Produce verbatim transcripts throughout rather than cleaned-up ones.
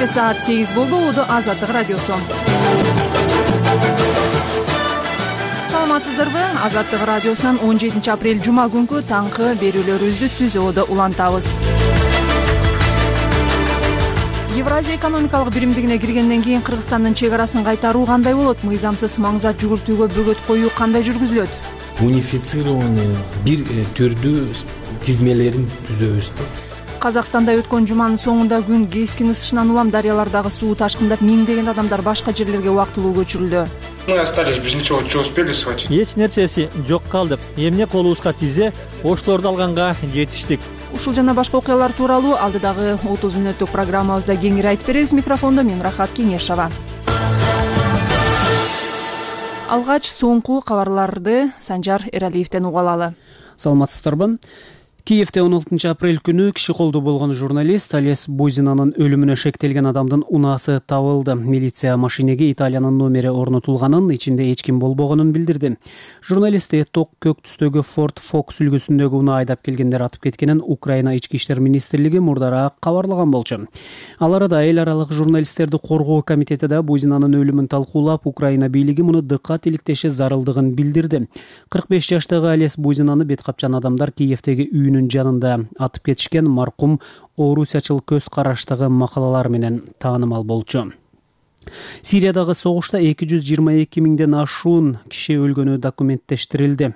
кечки саат сегиз болду. Улуу Азаттык радиосу. Саламатсыздарбы? Азаттык радиосунан он жетинчи апрель жума күнкү таңкы берүүлөрүбүздү түзөөдө улантабыз. Евразия экономикалык биримдигине киргенден кийин Кыргызстандын чек арасын кайтаруу кандай болот? Мыйзамсыз маңзат жүгүртүүгө бөгөт коюу кандай жүргүзүлөт? Унифицированный бир түрдүү тизмелерин түзөбүз. Казакстанда өткөн жуманын соңунда күн кескин ысышынан улам дарыялардагы суу ташкындап, миңдеген адамдар башка жерлерге убактылуу көчүрүлдү. Мы остались без ничего, что успели схватить. Эч нерсеси жок калдык. Эмне колубузга тизе, оштолорду алганга жетиштик. Ушул жана башка окуялар тууралуу алдыдагы отуз мүнөттүк программабызда кеңири айтып беребиз. Микрофондо мен Рахат Кеңешова. Алгач соңку кабарларды Санжар Эралиевден уга алалы. Саламатсыздарбы? Киевде он алтынчы апрель күнү киши колдуу болгон журналист Олес Бузинанын өлүмүнө шектелген адамдын унаасы табылды. Милиция машинеге Италиянын номери орнотулганын, ичинде эч ким болбогонун билдирди. Журналистти ток көк түстөгү Ford Focus үлгүсүндөгү унаа айдап келгендер атып кеткенин Украина ички иштер министрлиги мурдараак кабарлаган болчу. Ал арада эл аралык журналисттерди коргоо комитети да Бузинанын өлүмүн талкуулап, Украина бийлиги муну дыккат иликтеши зарылдыгын билдирди. кырк беш жаштагы Олес Бузинаны бет капчан адамдар Киевдеги үйүнүн жанында атып кетишкен. Маркум орусячыл көз караштагы макалалар менен таанымал болчу. Сириядагы согушта эки жүз жыйырма эки миңден ашуун киши өлгөнү документтештирилди.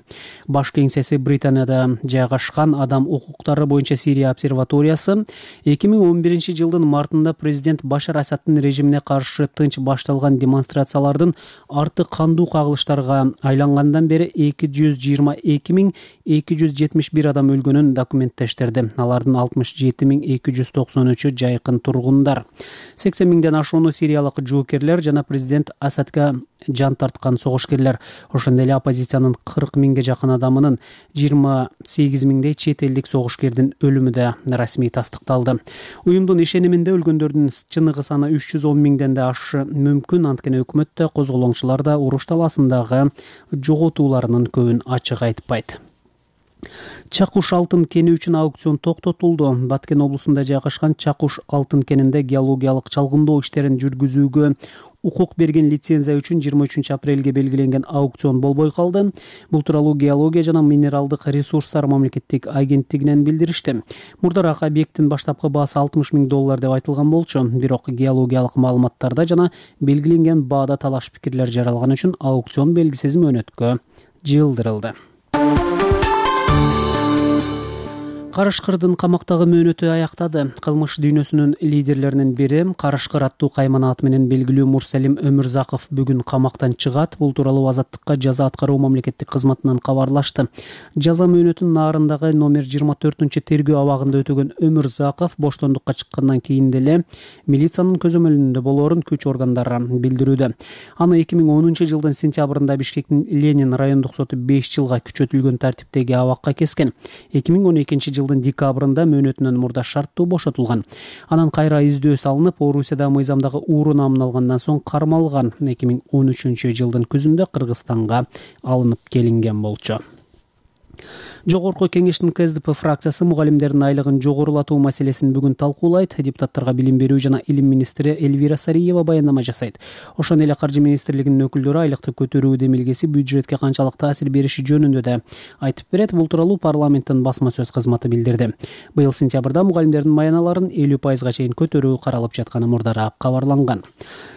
Баш кеңсеси Британияда жайгашкан Адам укуктары боюнча Сирия обсерваториясы эки миң он биринчи жылдын мартында президент Башар Асаддын режимине каршы тынч башталган демонстрациялардын арты кандуу кагылыштарга айлангандан бери эки жүз жыйырма эки миң эки жүз жетимиш бир адам өлгөнүн документтештирди. Алардын алтымыш жети миң эки жүз токсон үчү жайкын тургундар. сексен миңден ашууну сириялык жоокерлер жана президент Асадка жан тарткан согушкерлер. Ошондой эле оппозициянын кырк миңге жакын адамынын жыйырма сегиз миңдей чет элдик согушкердин өлүмү да расмий тастыкталды. Уюмдун ишениминде өлгөндөрдүн чыныгы саны үч жүз он миңден да ашы мүмкүн. Анткени өкмөт да, козголоңчулар да уруш талаасындагы жоготууларынын көбүн ачык айтпайт. Чакуш алтын кени үчүн аукцион токтотулду. Баткен облусунда жайгашкан Чакуш алтын кенинде геологиялык чалгындоо иштерин жүргүзүүгө укук берген лицензия үчүн жыйырма үчүнчү апрелге белгиленген аукцион болбой калды. Бул тууралуу Геология жана минералдык ресурстар мамлекеттик агенттигинен билдиришти. Мурдараак объекттин баштапкы баасы алтымыш миң доллар деп айтылган болчу. Бирок геологиялык маалыматтарда жана белгиленген баада талаш пикирлер жаралган үчүн аукцион белгисиз мөөнөткө жылдырылды. Карышкырдын камактагы мөөнөтү аяктады. Кылмыш дүйнөсүнүн лидерлеринин бири Карышкыр аттуу каймана аты менен белгилүү Мурсалим Өмүрзаков бүгүн камактан чыгат. Бул тууралуу Азаттыкка жаза аткаруу мамлекеттик кызматынан кабарлашты. Жаза мөөнөтүнүн наарындагы номер жыйырма төртүнчү тергөө абагында өтөгөн Өмүрзаков боштондукка чыккандан кийин деле милициянын көзөмөлүндө болоорун күч органдары билдирүүдө. Аны эки миң онунчу жылдын сентябрында Бишкектин Ленин райондук соту беш жылга күчөтүлгөн тартиптеги абакка кескен. эки миң он экинчи жылдын декабрында мөөнөтүнөн мурда шарттуу бошотулган. Анан кайра издөө салынып, Орусияда мыйзамдагы ууру намын алгандан соң кармалган. эки миң он үчүнчү жылдын күзүндө Кыргызстанга алынып келинген болчу. Жогорку кеңештин КСДП фракциясы мугалимдердин айлыгын жогорулатуу маселесин бүгүн талкуулайт. Депутаттарга билим берүү жана илим министри Эльвира Сариева баяндама жасайт. Ошондой эле Каржы министрлигинин өкүлдөрү айлыкты көтөрүү демилгеси бюджетке канчалык таасир бериши жөнүндө да айтып берет. Бул тууралуу парламенттин басма сөз кызматы билдирди. Быйыл сентябрда мугалимдердин маяналарын элүү пайызга чейин көтөрүү каралып жатканы мурдараак кабарланган.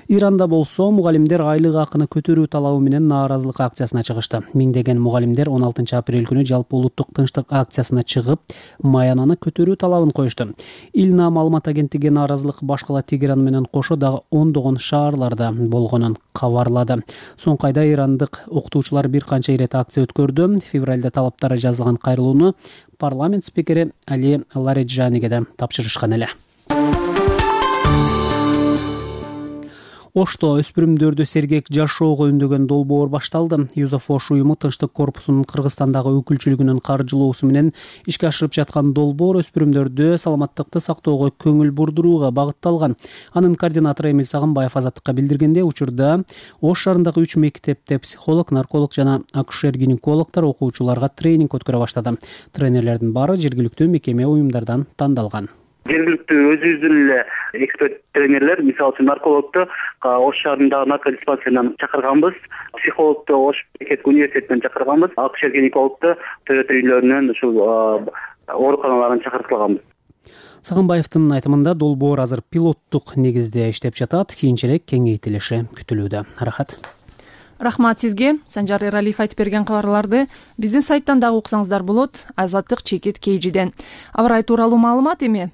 Иранда болсо мугалимдер айлык акыны көтөрүү талабы менен нааразылык акциясына чыгышты. Миңдеген мугалимдер он алтынчы апрель күнү жалпы улуттук тынчтык акциясына чыгып, маянаны көтөрүү талабын коюшту. Илна маалымат агенттиги нааразылык башкала Тегеран менен кошо дагы ондогон шаарларда болгонун кабарлады. Соңку айда ирандык окутуучулар бир канча ирет акция өткөрдү. Февралда талаптары жазылган кайрылууну парламент спикери Али Лариджаниге да тапшырышкан эле. Ошто өспүрүмдөрдү сергек жашоого үндөгөн долбоор башталды. Юзафош уюму Тынчтык корпусунун Кыргызстандагы өкүлчүлүгүнүн каржылоосу менен ишке ашырып жаткан долбоор өспүрүмдөрдү саламаттыкты сактоого көңүл бурдурууга багытталган. Анын координатору Эмил Сагынбаев Азаттыкка билдиргенде, учурда Ош шаарындагы үч мектепте психолог, нарколог жана акушер-гинекологдор окуучуларга тренинг өткөрө баштады. Тренерлердин баары жергиликтүү мекеме уюмдардан тандалган. жергиликтүү өзүбүздүн эле эксперт тренерлер, мисалы үчүн наркологду Ош шаарындагы наркодиспансеринен чакырганбыз, психологду Ош мамлекеттик университетинен чакырганбыз, акушер гинекологду Тойота үйлөрүнөн ушул ооруканалардан чакыртылганбыз. Сагынбаевдин айтымында долбоор азыр пилоттук негизде иштеп жатат, кийинчерээк кеңейтилиши күтүлүүдө. Рахат. Рахмат сизге. Санжар Эралиев айтып берген кабарларды биздин сайттан дагы уксаңыздар болот. Азаттык чекит кейжиден. Аба ырайы тууралуу маалымат эми.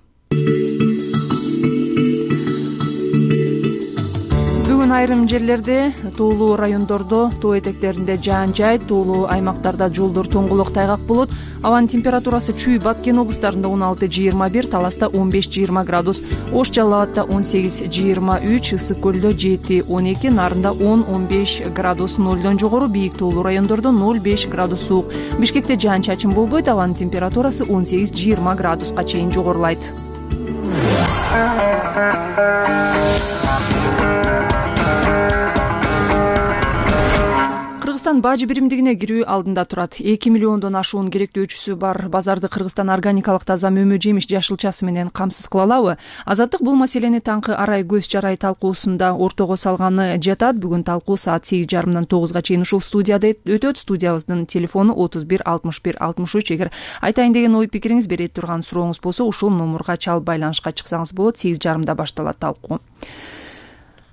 Бүгүн айрым жерлерде, тоолуу райондордо, тоо этектеринде жаан жайт, тоолуу аймактарда жолдор тоңголок тайгак болот. Абанын температурасы Чүй, Баткен облустарында он алты жыйырма бир, Таласта он беш жыйырма градус, Ош Жалал Абадта он сегиз жыйырма үч, Ысык көлдө жети он эки, Нарында он он беш градус, нолдон жогору, бийик тоолуу райондордо ноль беш градус суук. Бишкекте жаан чачын болбойт, абанын температурасы он сегиз жыйырма градуска чейин жогорулайт. Кыргызстан бажы биримдигине кирүү алдында турат. эки миллиондон ашуун керектөөчүсү бар базарды Кыргызстан органикалык таза мөмө жемиш жашылчасы менен камсыз кыла алабы? Азаттык бул маселени таңкы арай көз жарай талкуусунда ортого салганы жатат. Бүгүн талкуу саат сегиз жарымдан тогузга чейин ушул студияда өтөт. Студиябыздын телефону отуз бир алтымыш бир алтымыш үч. Эгер айтайын деген ой пикириңиз, бере турган сурооңуз болсо, ушул номурга чалып байланышка чыксаңыз болот. сегиз жарымда башталат талкуу.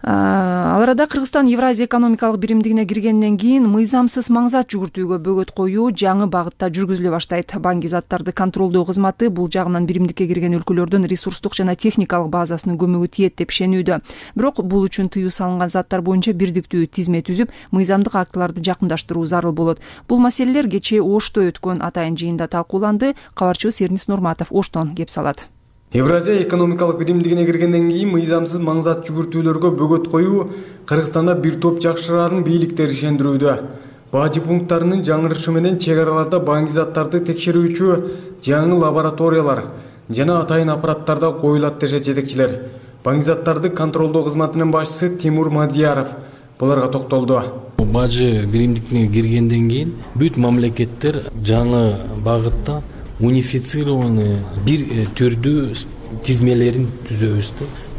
Ал арада Кыргызстан Евразия экономикалык биримдигине киргенден кийин мыйзамсыз маңзат жүгүртүүгө бөгөт коюу жаңы багытта жүргүзүлө баштайт. Банки заттарды контролдоо кызматы бул жагынан биримдикке кирген өлкөлөрдүн ресурстук жана техникалык базасынын көмөгү тиет деп ишенүүдө. Бирок бул үчүн тыюу салынган заттар боюнча бирдиктүү тизме түзүп, мыйзамдык актыларды жакындаштыруу зарыл болот. Бул маселелер кечээ Ошто өткөн атайын жыйында талкууланды. Кабарчыбыз Эрнис Нурматов Оштон кеп салат. Евразия экономикалык биримдигине киргенден кийин мыйзамсыз маңзат жүгүртүүлөргө бөгөт коюу Кыргызстанда бир топ жакшырарын бийликтер ишендирүүдө. Бажы пункттарынын жаңырышы менен чек араларда банки заттарды текшерүүчү жаңы лабораториялар жана атайын аппараттарда коюлат дешет жетекчилер. Банки заттарды контролдоо кызматынын башчысы Тимур Мадияров буларга токтолду. Бажы биримдигине киргенден кийин бүт мамлекеттер жаңы багытта унифицированный бир түрдүү тизмелерин түзөбүз.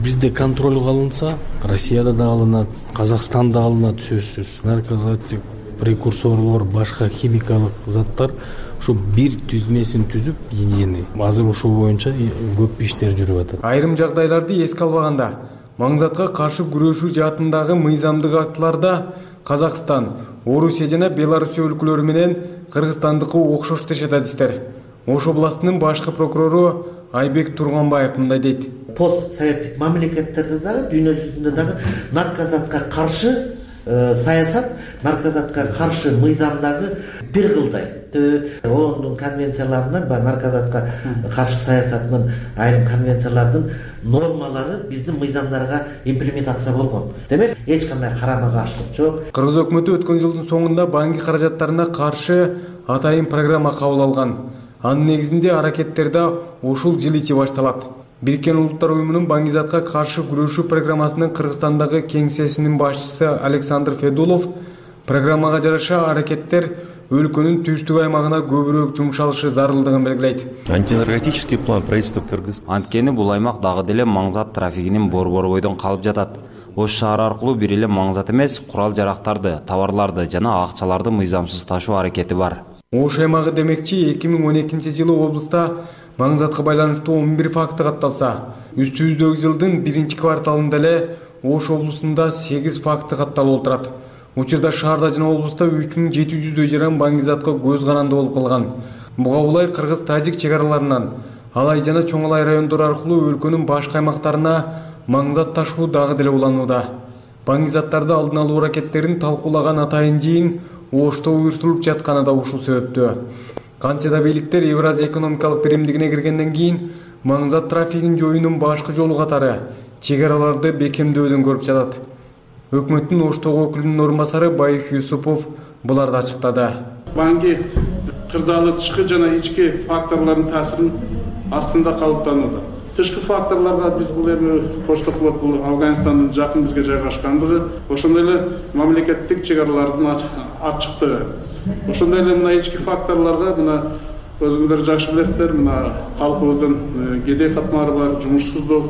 Бизде контролго алынса, Россияда да алынат, Казакстанда алынат сөзсүз. Наркозаттик прекурсорлор, башка химикалык заттар ушу бир түзмесин түзүп, единый. Азыр ушул боюнча көп иштер жүрүп атат. Айрым жагдайларды эске албаганда, маңзатка каршы күрөшүү жаатындагы мыйзамдык актыларда Казакстан, Орусия жана Белоруссия өлкөлөрү менен Кыргызстандыкы окшош дешет адистер. Ош областынын башкы прокурору Айбек Турганбаев мындай дейт. Пост советтик мамлекеттерде дагы, дүйнө жүзүндө дагы наркозатка каршы саясат, наркозатка каршы мыйзамдагы бир кылдай. ООНдун конвенцияларынан, ба наркозатка каршы саясатынын айрым конвенциялардын нормалары биздин мыйзамдарга имплементация болгон. Демек, эч кандай карама-каршылык жок. Кыргыз өкмөтү өткөн жылдын соңунда банки каражаттарына каршы атайын программа кабыл алган. Анын негизинде аракеттерде ушул жыл ичи башталат. Бириккен Улуттар уюмунун банки затка каршы күрөшүү программасынын Кыргызстандагы кеңсесинин башчысы Александр Федулов программага жараша аракеттер өлкөнүн түштүк аймагына көбүрөөк жумшалышы зарылдыгын белгилейт. Антинаркотический план правительства Кыргыз. Анткени бул аймак дагы деле маңзат трафигинин борборбойдон калып жатат. Ош шаары аркылуу бир эле маңзат эмес, курал-жарактарды, товарларды жана акчаларды мыйзамсыз ташуу аракети бар. Ош аймагы демекчи эки миң он экинчи жылы облуста маңзатка байланыштуу он бир факты катталса, үстүбүздөгү жылдын биринчи кварталында эле Ош облусунда сегиз факты катталып отурат. Учурда шаарда жана облуста үч миң жети жүздөй жаран банки затка көз каранды болуп калган. Буга улай кыргыз-тажик чек араларынан Алай жана Чоң Алай райондору аркылуу өлкөнүн башка аймактарына маңзат ташуу дагы деле уланууда. Банки заттарды алдын алуу аракеттерин талкуулаган атайын жыйын Ошто уюштурулуп жатканы да ушул себептөө. Кантсе да бийликтер Евразия экономикалык биримдигине киргенден кийин маңзат трафигин жоюунун башкы жолу катары чек араларды бекемдөөлүн көрүп жатат. Өкмөттүн Оштогу өкүлүнүн орун басары Байыш Юсупов буларды ачыктады. Банки кырдаалы тышкы жана ички факторлордун таасирин астында калыптанууда. Тышкы факторлорго биз бул эми кошток болот, бул Афганистандын жакын бизге жайгашкандыгы, ошондой эле мамлекеттик чек аралардын ачыктыгы. Ошондой эле мына ички факторлорго мына өзүңөр жакшы билесиздер, мына калкыбыздын кедей катмары бар, жумушсуздук,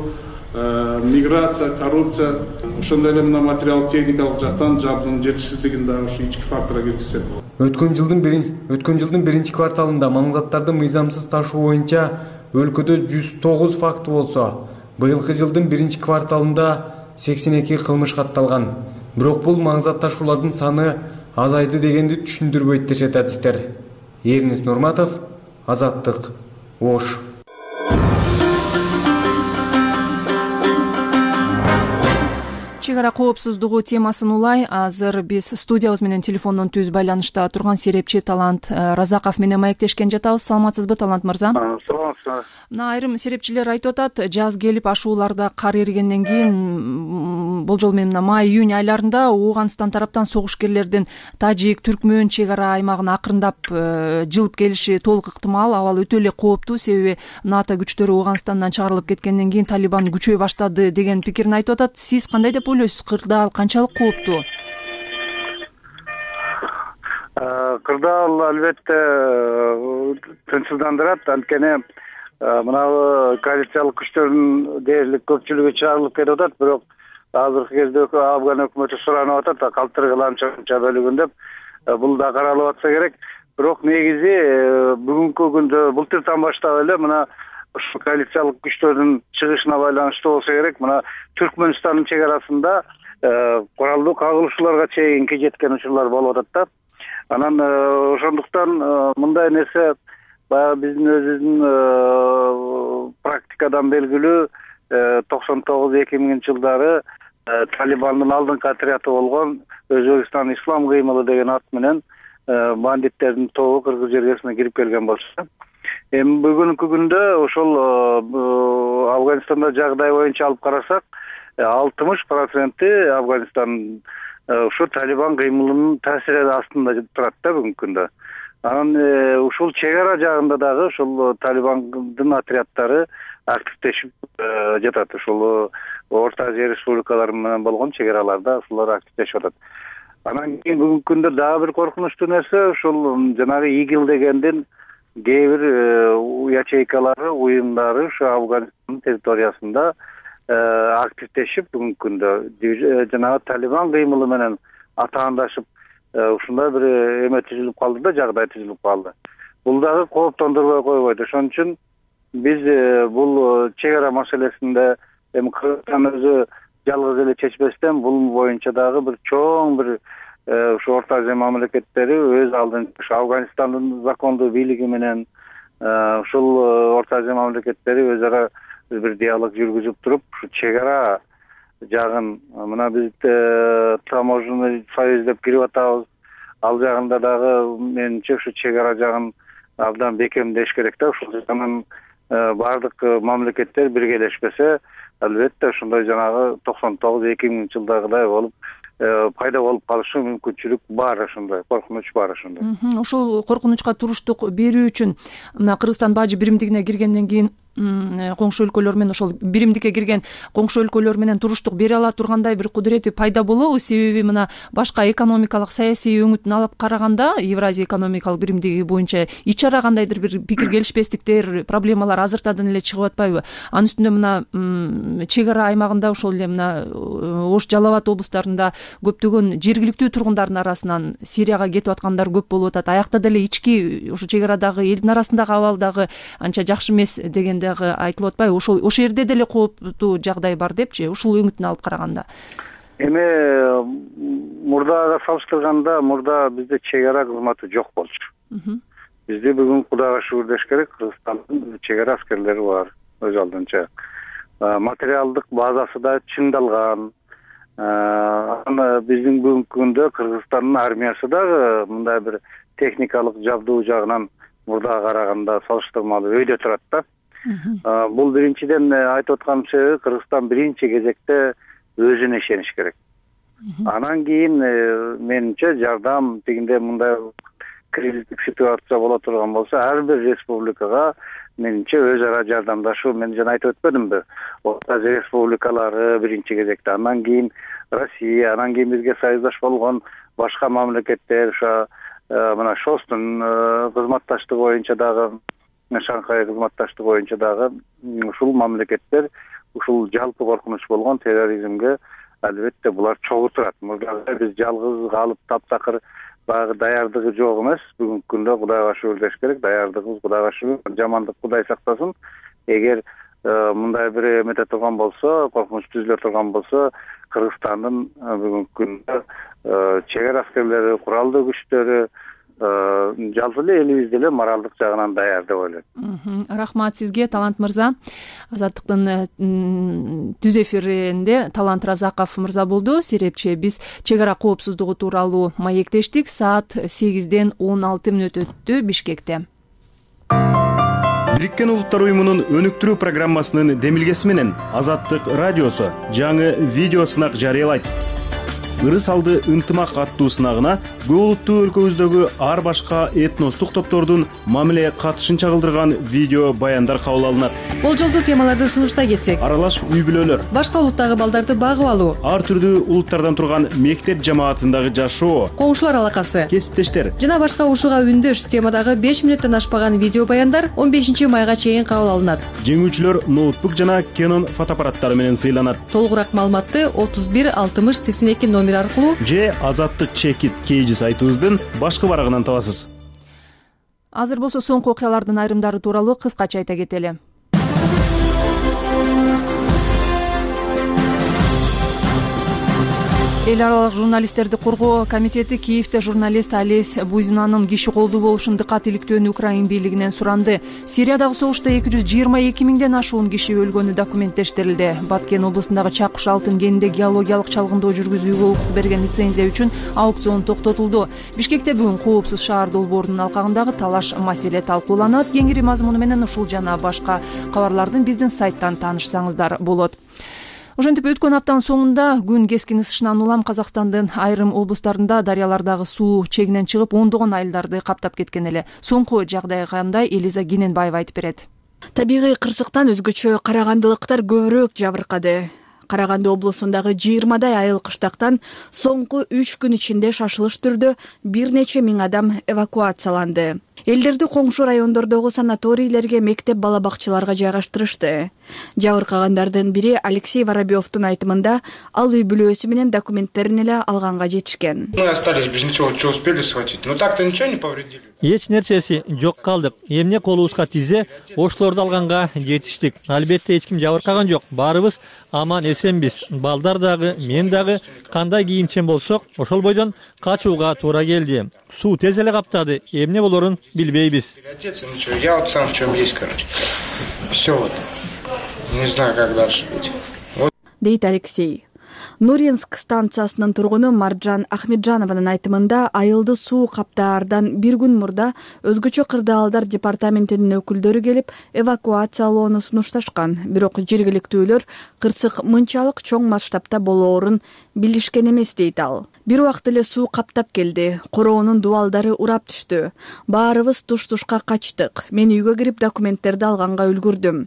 миграция, коррупция, ошондой эле мына материалдык техникалык жактан жабдыгынын жетишсиздигин дагы ушу ички факторго киргизсек болот. Өткөн жылдын өткөн жылдын биринчи кварталында маңзаттарды мыйзамсыз ташуу боюнча өлкөдө жүз тогуз факты болсо, быйылкы жылдын биринчи кварталында сексен эки кылмыш катталган. Бирок бул маңзат ташуулардын саны азайды дегенди түшүндүрбөйт дешет адистер. Эрнис Нурматов, Азаттык, Ош. Чек ара коопсуздугу темасын улай азыр биз студиябыз менен телефондон түз байланышта турган серепчи Талант Разаков менен маектешкен жатабыз. Саламатсызбы, Талант мырза? Саламатсызбы. Мына айрым серепчилер айтып атат, жаз келип ашууларда кар эригенден кийин болжол менен мына май июнь айларында Ооганстан тараптан согушкерлердин Тажик, Түркмөн чек ара аймагына акырындап жылып келиши толук ыктымал. Абал өтө эле кооптуу, себеби НАТО күчтөрү Ооганстандан чыгарылып кеткенден кийин Талибан күчөй баштады деген пикирин айтып атат. Сиз кандай деп ойлойсуз? Кырдаал канчалык кооптуу? Кырдаал албетте тынчсыздандырат, анткени мына коалициялык күчтөрдүн дээрлик көпчүлүгү чыгарылып кетип атат, бирок азыркы кезде Афган өкмөтү суранып атат, калтыргыламча бөлүгүн деп. Бул да каралып атса керек. Бирок негизи бүгүнкү күндө былтыртан баштап эле мына ушу коалициялык күчтөрдүн чыгышына байланыштуу болсо керек, мына Түркмөнстандын чек арасында куралдуу кагылышууларга чейинки жеткен учурлар болуп атат да. Анан ошондуктан мындай нерсе баягы биздин өзүбүздүн практикадан белгилүү токсон тогуз эки миңинчи жылдары Талибандын алдыңкы отряды болгон Өзбекстан Ислам кыймылы деген ат менен бандиттердин тобу Кыргыз жергесине кирип келген болчу. Эми бүгүнкү күндө ошол Афганистанда жагдай боюнча алып карасак, алтымыш проценти Афганистан ушу Талибан кыймылынын таасири астында турат да бүгүнкү күндө. Анан ушул чек ара жагында дагы ушул Талибандын отряддары активдешип жатат. Ушул Орто Азия республикалары менен болгон чек араларда ушулар активдешип атат. Анан кийин бүгүнкү күндө дагы бир коркунучтуу нерсе, ушул жанагы ИГИЛ дегендин кээ бир ячейкалары, уюмдары ушу Афганистандын территориясында активдешип бүгүнкү күндө жанагы Талибан кыймылы менен атаандашып ушундай бир эме түзүлүп калды да, жагдай түзүлүп калды. Бул дагы кооптондурбой койбойт. Ошон үчүн биз бул чек ара маселесинде эми Кыргызстан өзү жалгыз эле чечпестен бул боюнча дагы бир чоң бир ушу Орто Азия мамлекеттери өз алдынча ушу Афганистандын закондуу бийлиги менен ушул Орто Азия мамлекеттери өз ара бир диалог жүргүзүп туруп, ушу чек ара жагын мына биз таможенный союз деп кирип атабыз. Ал жагында дагы менимче ушу чек ара жагын абдан бекемдеш керек да. Ушул жагынан баардык мамлекеттер биргелешпесе, албетте ошондой жанагы токсон тогуз эки миңинчи жылдагыдай болуп пайда болуп калышы мүмкүнчүлүк бар, ошондой коркунуч бар ошондой. Ошол коркунучка туруштук берүү үчүн мына Кыргызстан бажы биримдигине киргенден кийин коңшу өлкөлөр менен ошол биримдикке кирген коңшу өлкөлөр менен туруштук бере ала тургандай бир кудурети пайда болобу? Себеби мына башка экономикалык саясий өңүтүн алып караганда Евразия экономикалык биримдиги боюнча ич ара кандайдыр бир пикир келишпестиктер, проблемалар азыртадан эле чыгып атпайбы? Анын үстүндө мына чек ара аймагында ошол эле мына Ош, Жалал Абад облустарында көптөгөн жергиликтүү тургундардын арасынан Сирияга кетип аткандар көп болуп атат. Аякта деле ички ушу чек арадагы элдин арасындагы абал дагы анча жакшы эмес деген дагы айтылып атпайбы? Ошол ошол жерде деле кооптуу жагдай бар депчи, ушул өңүтүн алып караганда. Эми мурдага салыштырганда мурда бизде чек ара кызматы жок болчу. Бизде бүгүн Кудайга шүгүр деш керек, Кыргызстандын чек ара аскерлери бар өз алдынча. Материалдык базасы да чыңдалган. Аны биздин бүгүнкү күндө Кыргызстандын армиясы дагы мындай бир техникалык жабдуу жагынан мурдага караганда салыштырмалуу өйдө турат да. Бул биринчиден айтып аткан себеби Кыргызстан биринчи кезекте өзүнө ишениш керек. Анан кийин менимче жардам тигинде мындай кризистик ситуация боло турган болсо ар бир республикага менимче өз ара жардамдашуу, мен жана айтып өтпөдүмбү? Орто Азия республикалары биринчи кезекте, андан кийин Россия, анан кийин бизге союздаш болгон башка мамлекеттер, ошо мына шостун кызматташтыгы боюнча дагы, Шанхай кызматташтыгы боюнча дагы ушул мамлекеттер ушул жалпы коркунуч болгон терроризмге албетте булар чогуу турат. Мурдагы биз жалгыз калып таптакыр баягы даярдыгы жок эмес. Бүгүнкү күндө Кудайга шүгүр деш керек. Даярдыгыбыз Кудайга шүгүр. Жамандык Кудай сактасын. Эгер мындай бир эмете турган болсо, коркунуч түзүлө турган болсо, Кыргызстандын бүгүнкү күндө чек ара аскерлери, куралдуу күчтөрү, жалпы эле элибиз деле моралдык жагынан даяр деп ойлойм. Рахмат сизге, Талант мырза. Азаттыктын түз эфиринде Талант Разаков мырза болду. Серепчи биз чек ара коопсуздугу тууралуу маектештик. Саат сегизден он алты мүнөт өттү Бишкекте. Бириккен Улуттар уюмунун өнүктүрүү программасынын демилгеси менен Азаттык радиосу жаңы видео сынак жарыялайт. Ырыс алды ынтымак аттуу сынагына көп улуттуу өлкөбүздөгү ар башка этностук топтордун мамиле катышын чагылдырган видео баяндар кабыл алынат. Болжолдуу темаларды сунуштай кетсек: аралаш үй бүлөлөр, башка улуттагы балдарды багып алуу, ар түрдүү улуттардан турган мектеп жамаатындагы жашоо, коңшулар алакасы, кесиптештер жана башка ушуга үндөш темадагы беш мүнөттөн ашпаган видео баяндар он бешинчи майга чейин кабыл алынат. Жеңүүчүлөр ноутбук жана Canon фотоаппараттары менен сыйланат. Толугураак маалыматты отуз бир алтымыш сексен эки номер аркылуу же Азаттык чекит кейжи сайтыбыздын башкы барагынан табасыз. Азыр болсо соңку окуялардын айрымдары тууралуу кыскача айта кетели. Эл аралык журналисттерди коргоо комитети Киевде журналист Олесь Бузинанын киши колдуу болушун дыкат иликтөөнү Украин бийлигинен суранды. Сириядагы согушта эки жүз жыйырма эки миңден ашуун киши өлгөнү документтештирилди. Баткен облусундагы Чакуш алтын кенинде геологиялык чалгындоо жүргүзүүгө укук берген лицензия үчүн аукцион токтотулду. Бишкекте бүгүн Коопсуз шаар долбоорунун алкагындагы талаш маселе талкууланат. Кеңири мазмуну менен ушул жана башка кабарлардын биздин сайттан таанышсаңыздар болот. Ошентип өткөн аптанын соңунда күн кескин ысышынан улам Казакстандын айрым облустарында дарыялардагы суу чегинен чыгып, ондогон айылдарды каптап кеткен эле. Соңку жагдай кандай, Элиза Гененбаева айтып берет. Табигый кырсыктан өзгөчө карагандылыктар көбүрөөк жабыркады. Караганды облусундагы жыйырмадай айыл кыштактан соңку үч күн ичинде шашылыш түрдө бир нече миң адам эвакуацияланды. Элдерди коңшу райондордогу санаторийлерге, мектеп бала бакчаларга жайгаштырышты. Жабыркагандардын бири Алексей Воробьевдун айтымында, ал үй бүлөсү менен документтерин эле алганга жетишкен. Мы остались без ничего, что успели схватить. Но так-то ничего не повредили. Эч нерсеси жок калдык. Эмне колубузга тизе, ошлорду алганга жетиштик. Албетте эч ким жабыркаган жок. Баарыбыз аман эсенбиз. Балдар дагы, мен дагы кандай кийимчен болсок, ошол бойдон качууга туура келди. Суу тез эле каптады. Эмне болорун билбейбиз. Ничего, я вот сам в чем есть, короче. Все вот. Не знаю, как дальше быть. Вот. Дейт Алексей. Нуринск станциясынын тургуну Маржан Ахмеджанованын айтымында, айылды суу каптаардан бир күн мурда өзгөчө кырдаалдар департаментинин өкүлдөрү келип эвакуациялоону сунушташкан. Бирок жергиликтүүлөр кырсык мынчалык чоң масштабта болоорун билишкен эмес дейт ал. Бир убакыт эле суу каптап келди. Короонун дубалдары урап түштү. Баарыбыз туш-тушка качтык. Мен үйгө кирип документтерди алганга үлгүрдүм.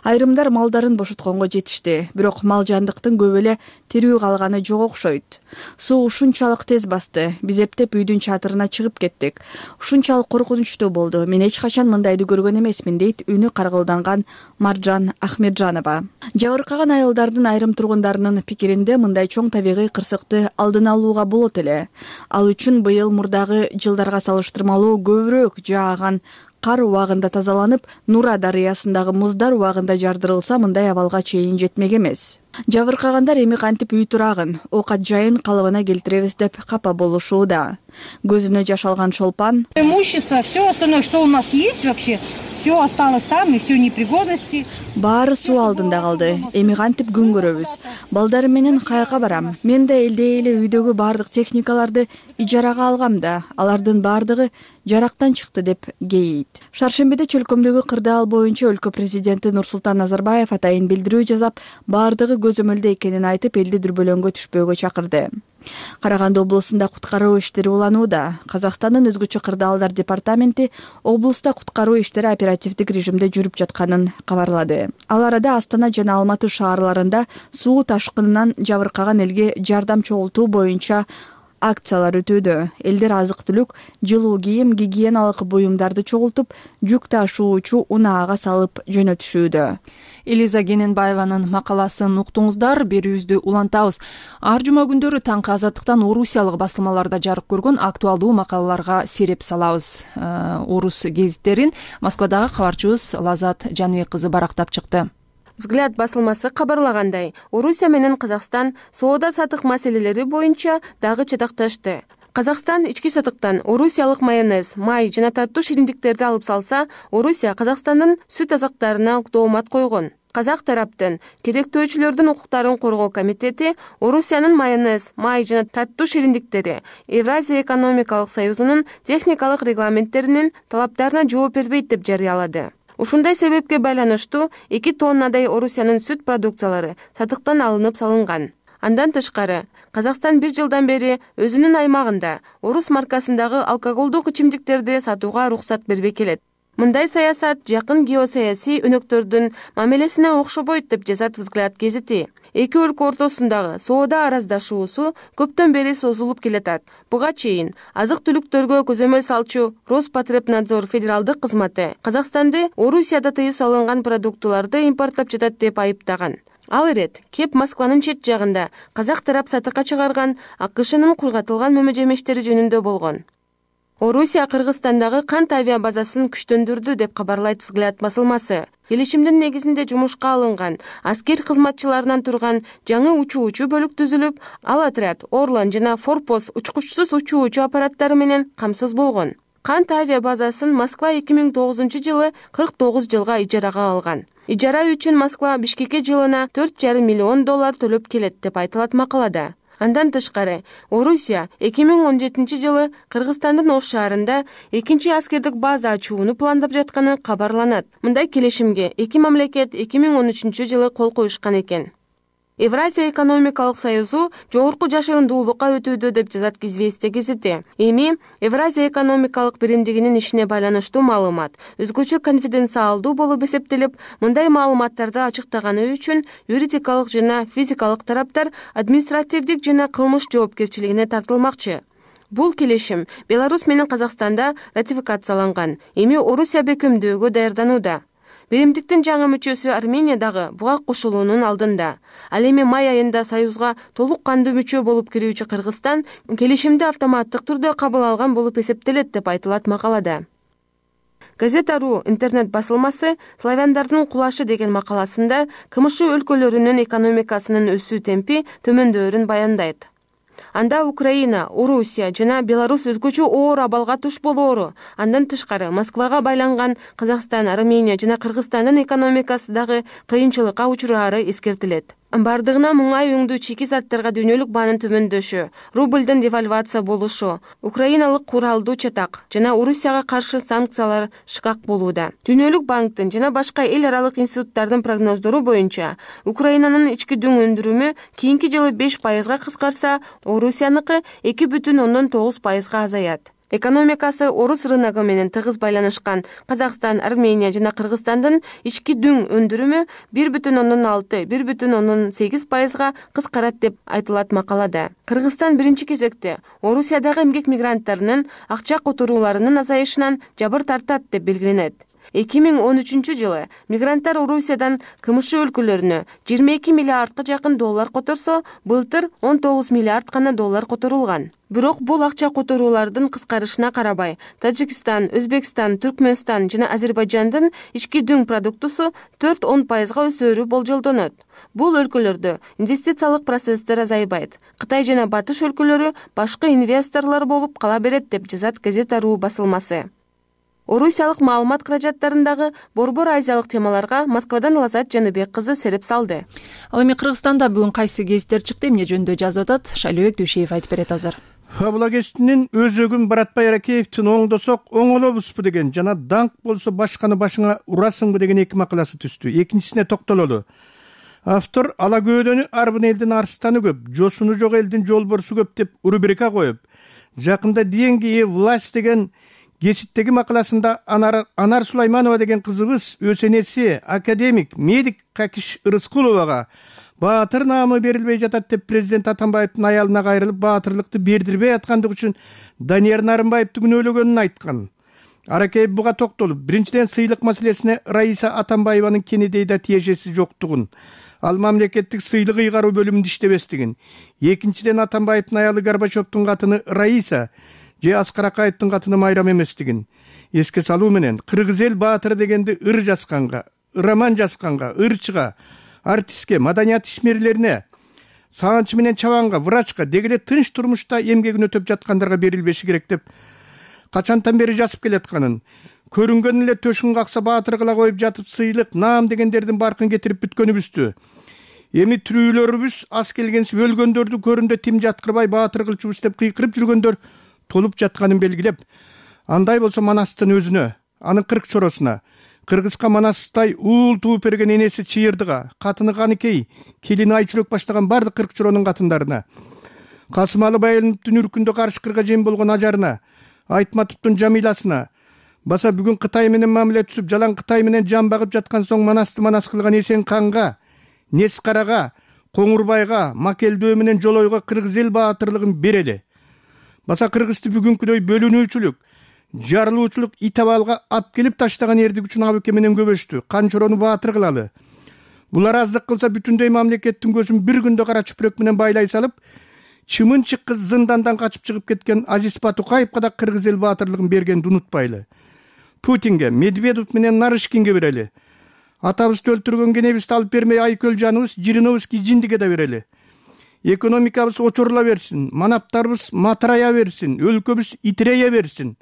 Айрымдар малдарын бошотконго жетишти. Бирок мал жандыктын көп эле тирүү калганы жок окшойт. Суу ушунчалык тез басты. Биз эптеп үйдүн чатырына чыгып кеттик. Ушунчалык коркунучтуу болду. Мен эч качан мындайды көргөн эмесмин, дейт үнү каргылданган Маржан Ахмеджанова. Жабыркаган айылдардын айрым тургундарынын пикиринде, мындай чоң табигый кырсыкты алдын алууга болот эле. Ал үчүн быйыл мурдагы жылдарга салыштырмалуу көбүрөөк жааган кар убагында тазаланып, Нура дарыясындагы муздар убагында жардырылса, мындай абалга чейин жетмек эмес. Жабыркагандар эми кантип үй турагын, оокат жайын калыбына келтиребиз деп капа болушууда. Көзүнө жаш алган Шолпан: имущество, все остальное, что у нас есть вообще, все осталось там, и все непригодности. Баары суу алдында калды. Эми кантип күн көрөбүз? Балдарым менен каяка барам? Мен да элдей эле үйдөгү баардык техникаларды ижарага алгам да, алардын баардыгы жарактан чыкты, деп кейийт. Шаршембиде чөлкөмдөгү кырдаал боюнча өлкө президенти Нурсултан Назарбаев атайын билдирүү жасап, баардыгы көзөмөлдө экенин айтып, элди дүрбөлөңгө түшпөөгө чакырды. Караганды облусунда куткаруу иштери уланууда. Казакстандын өзгөчө кырдаалдар департаменти облуста куткаруу иштери оперативдик режимде жүрүп жатканын кабарлады. Ал арада Астана жана Алматы шаарларында суу ташкынынан жабыркаган элге жардам чогултуу боюнча акциялар өтүүдө. Элдер азык түлүк, жылуу кийим, гигиеналык буюмдарды чогултуп, жүк ташуучу унаага салып жөнөтүшүүдө. Элиза Кененбаеванын макаласын уктуңуздар, берүүбүздү улантабыз. Ар жума күндөрү таңкы Азаттыктан орусиялык басылмаларда жарык көргөн актуалдуу макалаларга сереп салабыз. Орус гезиттерин Москвадагы кабарчыбыз Лазат Жаныбек кызы барактап чыкты. Взгляд басылмасы кабарлагандай, Орусия менен Казакстан соода сатык маселелери боюнча дагы чатакташты. Казакстан ички сатыктан орусиялык майонез, май жана таттуу шириндиктерди алып салса, Орусия Казакстандын сүт азыктарына доомат койгон. Казак тараптын керектөөчүлөрдүн укуктарын коргоо комитети Орусиянын майонез, май жана таттуу шириндиктери Евразия экономикалык союзунун техникалык регламенттеринин талаптарына жооп бербейт деп жарыялады. Ушундай себепке байланыштуу эки тоннадай Орусиянын сүт продукциялары сатыктан алынып салынган. Андан тышкары, Казакстан бир жылдан бери өзүнүн аймагында орус маркасындагы алкоголдук ичимдиктерди сатууга уруксат бербей келет. Мындай саясат жакын геосаясий өнөктөрдүн мамилесине окшобойт деп жазат Взгляд гезити. Эки өлкө ортосундагы соода араздашуусу көптөн бери созулуп келатат. Буга чейин азык-түлүктөргө көзөмөл салчу Роспотребнадзор федералдык кызматы Казакстанды Орусияда тыюу салынган продуктуларды импорттоп жатат деп айыптаган. Ал ирет кеп Москванын чет жагында казак тарап сатыкка чыгарган АКШнын кургатылган мөмө-жемештери жөнүндө болгон. Орусия Кыргызстандагы кант авиа базасын күчтөндүрдү деп кабарлайт Взгляд басылмасы. Келишимдин негизинде жумушка алынган аскер кызматчыларынан турган жаңы учуучу бөлүк түзүлүп, ал отряд Орлан жана Форпост учкучсуз учуучу аппараттары менен камсыз болгон. Кант авиа базасын Москва эки миң тогузунчу жылы кырк тогуз жылга ижарага алган. Ижара үчүн Москва Бишкекке жылына төрт жарым миллион доллар төлөп келет деп айтылат макалада. Андан тышкары, Орусия эки миң он жетинчи жылы Кыргызстандын Ош шаарында экинчи аскердик база ачууну пландап жатканы кабарланат. Мындай келишимге эки мамлекет эки миң он үчүнчү жылы кол коюшкан экен. Евразия экономикалык союзу жогорку жашырындуулукка өтүүдө деп жазат Известия гезити. Эми Евразия экономикалык биримдигинин ишине байланыштуу маалымат өзгөчө конфиденциалдуу болуп эсептелип, мындай маалыматтарды ачыктаганы үчүн юридикалык жана физикалык тараптар административдик жана кылмыш жоопкерчилигине тартылмакчы. Бул келишим Беларусь менен Казакстанда ратификацияланган. Эми Орусия бекемдөөгө даярданууда. Биримдиктин жаңы мүчөсү Армения дагы буга кошулуунун алдында. Ал эми май айында Союзга толук кандуу мүчө болуп кирүүчү Кыргызстан келишимди автоматтык түрдө кабыл алган болуп эсептелет деп айтылат макалада. Газета.ру интернет басылмасы Славяндардын кулашы деген макаласында КМШ өлкөлөрүнүн экономикасынын өсүү темпи төмөндөөрүн баяндайт. Анда Украина, Орусия жана Беларусь өзгөчө оор абалга туш болоору, андан тышкары Москвага байланган Казакстан, Армения жана Кыргызстандын экономикасы дагы кыйынчылыкка учурары эскертилет. Бардыгына муңай өңдүү чийки заттарга дүйнөлүк баанын төмөндөшү, рублдын девальвация болушу, украиналык куралдуу чатак жана Орусияга каршы санкциялар шкак болууда. Дүйнөлүк банктын жана башка эл аралык институттардын прогноздору боюнча, Украинанын ички дүң өндүрүмү кийинки жылы беш пайызга кыскарса, Орусияныкы эки бүтүн ондон тогуз пайызга азаят. Экономикасы орус рыногу менен тыгыз байланышкан Казакстан, Армения жана Кыргызстандын ички дүң өндүрүмү бир бүтүн ондон алты — бир бүтүн ондон сегиз пайызга кыскарат деп айтылат макалада. Кыргызстан биринчи кезекте Орусиядагы эмгек мигранттарынын акча которууларынын азайышынан жабыр тартат деп белгиленет. эки миң он үчүнчү жылы мигранттар Орусиядан КМШ өлкөлөрүнө жыйырма эки миллиардка жакын доллар которсо, былтыр он тогуз миллиард гана доллар которулган. Бирок бул акча которуулардын кыскарышына карабай, Тажикстан, Өзбекстан, Түркмөнстан жана Азербайжандын ички дүң продуктусу төрт — он пайызга өсөөрү болжолдонот. Бул өлкөлөрдө инвестициялык процесстер азайбайт. Кытай жана Батыш өлкөлөрү башкы инвесторлор болуп кала берет деп жазат Газета.ру басылмасы. Орусиялык маалымат каражаттарындагы борбор азиялык темаларга Москвадан Лазат Жаныбек кызы сереп салды. Ал эми Кыргызстанда бүгүн кайсы гезиттер чыкты, эмне жөнүндө жазып атат, Шайлообек Дүйшеев айтып берет азыр. Фабула гезитинин өзөгүн Баратбай Аракеевдин оңдосок оңолобузбу деген жана даңк болсо башканы башыңа урасыңбы деген эки макаласы түстү. Экинчисине токтололу. Автор ала көөдөнү арбын элдин арстаны көп, жосуну жок элдин жолборсу көп деп рубрика коюп, жакында деньги власть деген гезиттеги макаласында Анар, Анар Сулайманова деген кызыбыз өз энеси академик, медик Какиш Ырыскуловага баатыр наамы берилбей жатат деп президент Атамбаевдин аялына кайрылып, баатырлыкты бердирбей аткандыгы үчүн Данияр Нарымбаевди күнөөлөгөнүн айткан. Аракеев буга токтолуп, биринчиден сыйлык маселесине Раиса Атамбаеванын Кенедейде тиешеси жоктугун, ал мамлекеттик сыйлык ыйгаруу бөлүмүндө иштебестигин, экинчиден Атамбаевдин аялы Горбачевдун катыны Раиса же Аскар Акаевдин катыны Майрам эместигин эске салуу менен кыргыз эл баатыры дегенди ыр жазганга, роман жазганга, ырчыга, артистке, маданият ишмерлерине, саанчы менен чабанга, врачка, деги эле тынч турмушта эмгегин өтөп жаткандарга берилбеши керек деп качантан бери жазып келатканын, көрүнгөн эле төшүн какса баатыргыла коюп жатып сыйлык, наам дегендердин баркын кетирип бүткөнүбүздү. Эми тирүүлөрүбүз ас келгенсип өлгөндөрдү көрүндө тим жаткырбай баатыр кылчубуз деп кыйкырып жүргөндөр толуп жатканын белгилеп, андай болсо Манастын өзүнө, анын кырк чоросуна, Кыргызга Манастай уул тууп берген энеси Чыйырдыга, катыны Каныкей, келини Айчүрөк баштаган бардык кырк чоронун катындарына, Касымалы Байыловдун үркүндө Карышкырга жем болгон ажарына, Айтматовдун Жамиласына, баса бүгүн Кытай менен мамиле түзүп, жалаң Кытай менен жан багып жаткан соң Манасты манас кылган Эсен канга, Нескарага, Коңурбайга, Макелдөө менен Жолойго кыргыз эл баатырлыгын берели. Баса кыргызды бүгүнкүдөй бөлүнүүчүлүк, жарылуучулук итабалга ап келип таштаган эрдик үчүн абыке менен көбөштү, канчорону баатыр кылалы. Булар аздык кылса бүтүндөй мамлекеттин көзүн бир күндө кара чүпүрөк менен байлай салып, чымынчык кыз зындандан качып чыгып кеткен Азиз Батукаевга да кыргыз эл баатырлыгын бергенди унутпайлы. Путинге, Медведев менен Нарышкинге берели. Атабызды өлтүргөн кенебизди алып бермей Айкөл жаныбыз, Жириновский Жиндиге да берели. Экономикабыз очорула берсин, манаптарыбыз матырая берсин, өлкөбүз итирее берсин.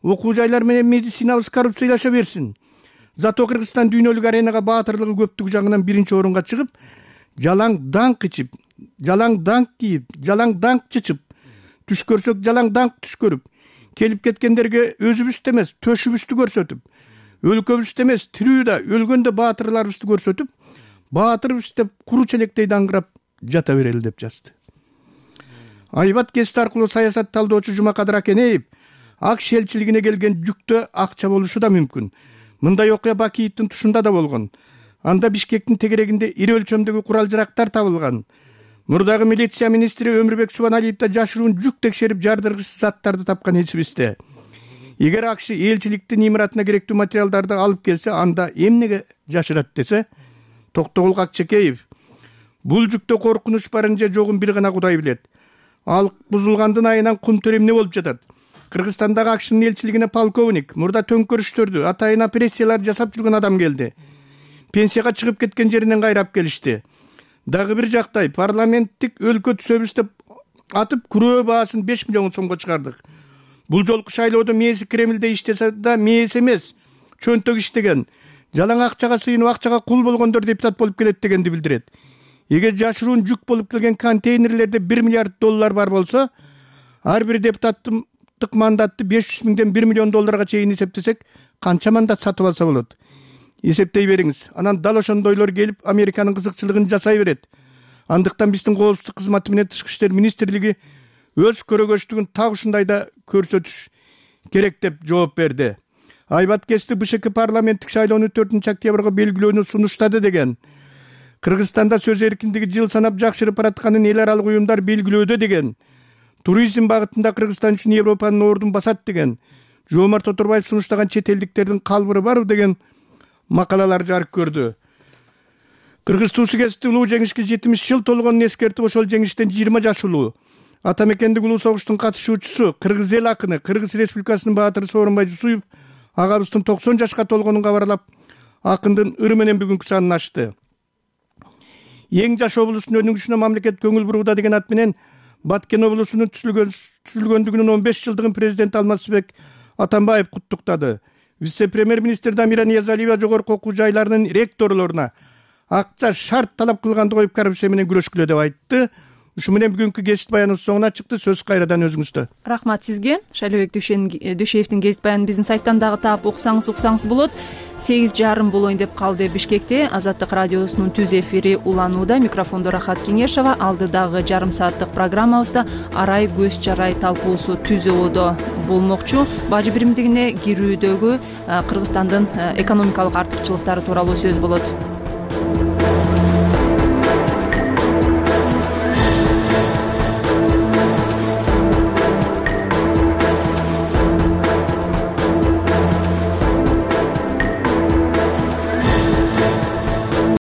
Окуу жайлар менен медицинабыз коррупциялаша берсин. Зато Кыргызстан дүйнөлүк аренага баатырлыгы көптүгү жагынан биринчи орунга чыгып, жалаң даңк ичип, жалаң даңк кийип, жалаң даңк чычып, түш көрсөк жалаң даңк түш көрүп, келип кеткендерге өзүбүздү эмес, төшүбүздү көрсөтүп, өлкөбүздү эмес, тирүүдө, өлгөндө баатырларыбызды көрсөтүп, баатырбыз деп куру челектей даңгырап жата берели деп жазды. Айбат гезити аркылуу саясат талдоочу Жумакадыр Акенеев АКШ элчилигине келген жүктө акча болушу да мүмкүн. Мындай окуя Бакиевдин тушунда да болгон. Анда Бишкектин тегерегинде ири өлчөмдөгү курал жарактар табылган. Мурдагы милиция министри Өмүрбек Субаналиев да жашыруун жүк текшерип жардыргыч заттарды тапкан эсибизде. Эгер АКШ элчиликтин имаратына керектүү материалдарды алып келсе, анда эмнеге жашырат десе, Токтогул Акчекеев, бул жүктө коркунуч барын же жогун бир гана Кудай билет. Ал бузулгандын айынан кум төр эмне болуп жатат? Кыргызстандагы АКШнын элчилигине полковник, мурда төңкөрүштөрдү, атайын опрессиялар жасап жүргөн адам келди. Пенсияга чыгып кеткен жеринен кайрап келишти. Дагы бир жактай парламенттик өлкө түзөбүз деп атып күрөө баасын беш миллион сомго чыгардык. Бул жолку шайлоодо мээси Кремлде иштесе да мээси эмес, чөнтөк иштеген, жалаң акчага сыйынып акчага кул болгондор депутат болуп келет дегенди билдирет. Эгер жашыруун жүк болуп келген контейнерлерде бир миллиард доллар бар болсо, ар бир депутаттын мандатты беш жүз миңден бир миллион долларга чейин эсептесек, канча мандат сатып алса болот? Эсептей бериңиз. Анан дал ошондойлор келип Американын кызыкчылыгын жасай берет. Андыктан биздин коопсуздук кызматы менен Тышкы иштер министрлиги өз көрөгөчтүгүн так ушундай да көрсөтүш керек деп жооп берди. Айбат Кести БШК парламенттик шайлоону төртүнчү октябрга белгилөөнү сунуштады деген. Кыргызстанда сөз эркиндиги жыл санап жакшырып баратканын эл аралык уюмдар белгилөөдө деген. Туризм багытында Кыргызстан үчүн Европанын ордун басат деген. Жоомарт Оторбаев сунуштаган чет элдиктердин калбыры барбы деген макалалар жарык көрдү. Кыргыз туусу кезти улуу жеңишке жетимиш жыл толгонун эскертип, ошол жеңиштен жыйырма жаш улуу Атамекендик улуу согуштун катышуучусу, Кыргыз эл акыны, Кыргыз Республикасынын баатыры Сооронбай Жусуев агабыздын токсон жашка толгонун кабарлап, акындын ыры менен бүгүнкү санын ачты. Эң жаш облустун өнүгүшүнө мамлекет көңүл бурууда деген ат менен Баткен облусунун түзүлгөндүгүнүн он беш жылдыгын президент Алмазбек Атамбаев куттуктады. Вице-премьер-министр Дамира Ниязалиева жогорку окуу жайларынын ректорлоруна акча шарт талап кылганды коюп коррупция менен күрөшкүлө деп айтты. Ушу менен бүгүнкү гезит баяныбыз соңуна чыкты. Сөз кайрадан өзүңүздө. Рахмат сизге. Шайлообек Дүйшеевдин гезит баянын биздин сайттан дагы таап уксаңыз уксаңыз болот. сегиз жарым болоюн деп калды Бишкекте. Азаттык радиосунун түз эфири уланууда. Микрофондо Рахат Кеңешова. Алдыдагы жарым сааттык программабызда арай көз жарай талкуусу түзүүдө болмокчу. Бажы биримдигине кирүүдөгү Кыргызстандын экономикалык артыкчылыктары тууралуу сөз болот.